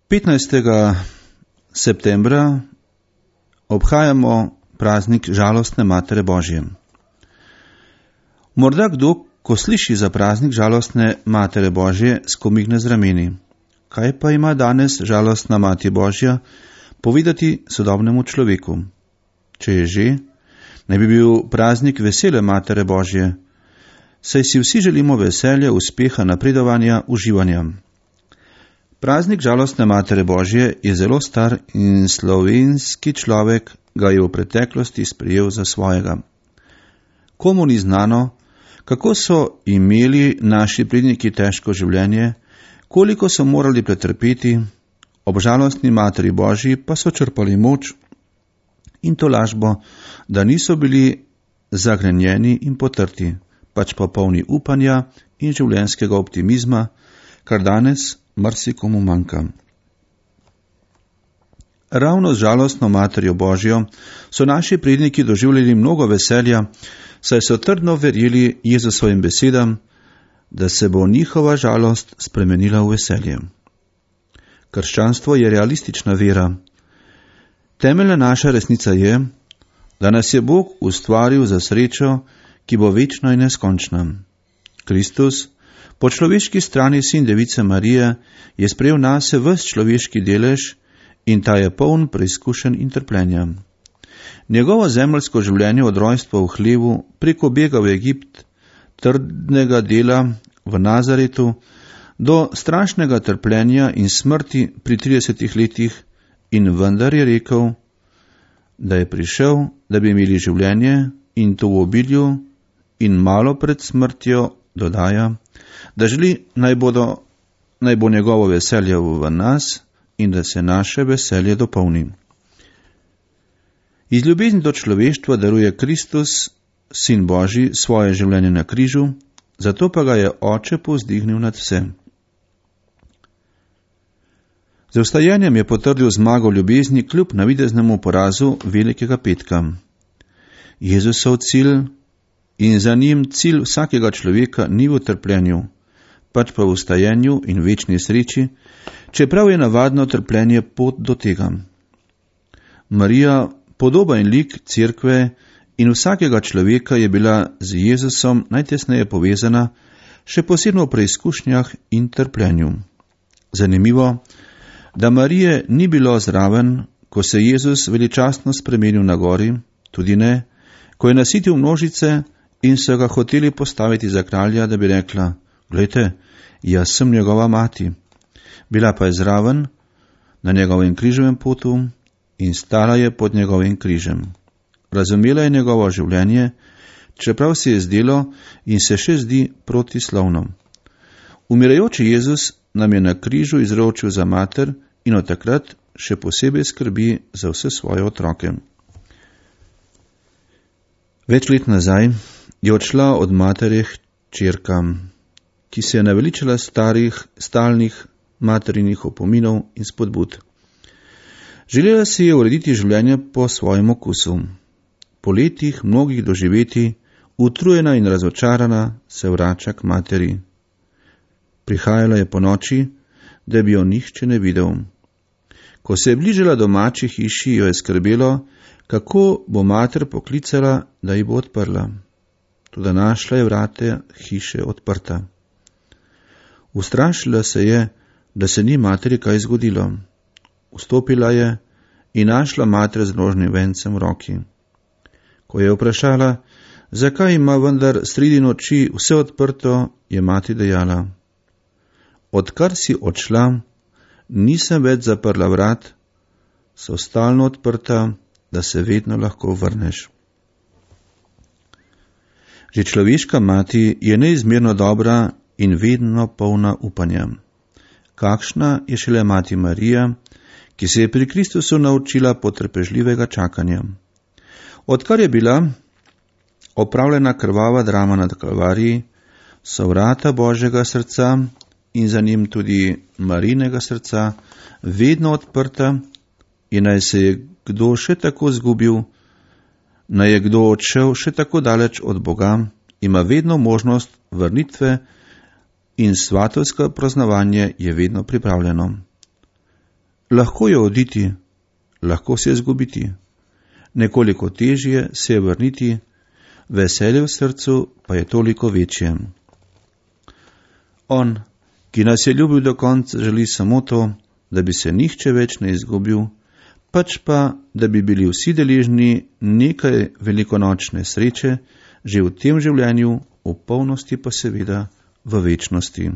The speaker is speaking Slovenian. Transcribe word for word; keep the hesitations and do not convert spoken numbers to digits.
petnajstega septembra obhajamo praznik žalostne Matere Božje. Morda kdo, ko sliši za praznik žalostne Matere Božje, skomigne z rameni. Kaj pa ima danes žalostna Mati Božja povedati sodobnemu človeku? Če je že, naj bi bil praznik vesele Matere Božje, saj si vsi želimo veselja, uspeha, napredovanja, uživanja. Praznik žalostne Matere Božje je zelo star in slovenski človek ga je v preteklosti sprejel za svojega. Komu ni znano, kako so imeli naši predniki težko življenje, koliko so morali pretrpeti, ob žalostni Materi Božji pa so črpali moč in tolažbo, da niso bili zagrenjeni in potrti, pač pa polni upanja in življenjskega optimizma, kar danes marsikomu manjka. Ravno z žalostno Materjo Božjo so naši predniki doživljali mnogo veselja, saj so trdno verjeli Jezusovim besedam, da se bo njihova žalost spremenila v veselje. Krščanstvo je realistična vera. Temeljna naša resnica je, da nas je Bog ustvaril za srečo, ki bo večna in neskončna. Kristus, po človeški strani sin device Marije, je sprejel nase ves človeški delež in ta je poln preizkušenj in trpljenja. Njegovo zemeljsko življenje od rojstva v hlevu preko bega v Egipt, trdnega dela v Nazaretu, do strašnega trpljenja in smrti pri tridesetih letih, in vendar je rekel, da je prišel, da bi imeli življenje in to v obilju, in malo pred smrtjo dodaja, da želi naj, bodo, naj bo njegovo veselje v nas in da se naše veselje dopolni. Iz ljubezni do človeštva daruje Kristus, sin Božji, svoje življenje na križu, zato pa ga je Oče povzdignil nad vse. Z vstajenjem je potrdil zmago ljubezni kljub navideznemu porazu velikega petka. Jezusov cilj in za njim cilj vsakega človeka ni v trpljenju, pač pa v vstajenju in večni sreči, čeprav je navadno trpljenje pot do tega. Marija, podoba in lik cerkve in vsakega človeka, je bila z Jezusom najtesneje povezana, še posebno v preizkušnjah in trpljenju. Zanimivo, da Marije ni bilo zraven, ko se Jezus veličastno spremenil na gori, tudi ne, ko je nasitil množice in so ga hoteli postaviti za kralja, da bi rekla, glejte, jaz sem njegova mati. Bila pa je zraven na njegovem križevem potu in stala je pod njegovim križem. Razumela je njegovo življenje, čeprav se je zdelo in se še zdi protislovno. Umirajoči Jezus nam je na križu izročil za mater in od takrat še posebej skrbi za vse svoje otroke. Več let nazaj je odšla od matere hčerka, ki se je naveličala starih, stalnih materinih opominov in spodbud. Želela si je urediti življenje po svojem okusu. Po letih mnogih doživeti, utrujena in razočarana, se vrača k materi. Prihajala je po noči, da bi jo nihče ne videl. Ko se je bližala domači hiši, jo je skrbelo, kako bo mater poklicala, da ji bo odprla. Toda našla je vrate hiše odprta. Ustrašila se je, da se ni materi kaj zgodilo. Vstopila je in našla mater z nožnim vencem v roki. Ko je vprašala, zakaj ima vendar sredi noči vse odprto, je mati dejala, odkar si odšla, nisem več zaprla vrat, so stalno odprta, da se vedno lahko vrneš. Že človeška mati je neizmerno dobra in vedno polna upanja. Kakšna je šele mati Marija, ki se je pri Kristusu naučila potrpežljivega čakanja. Odkar je bila opravljena krvava drama nad Kalvariji, so vrata Božjega srca in za njim tudi Marijinega srca vedno odprta in naj se je kdo še tako zgubil, naj je kdo odšel še tako daleč od Boga, ima vedno možnost vrnitve in svatovsko praznovanje je vedno pripravljeno. Lahko je oditi, lahko se je zgubiti, nekoliko težje se je vrniti, veselje v srcu pa je toliko večje. On, ki nas je ljubil do konca, želi samo to, da bi se nihče več ne izgubil, pač pa, da bi bili vsi deležni nekaj velikonočne sreče, že v tem življenju, v polnosti pa seveda v večnosti.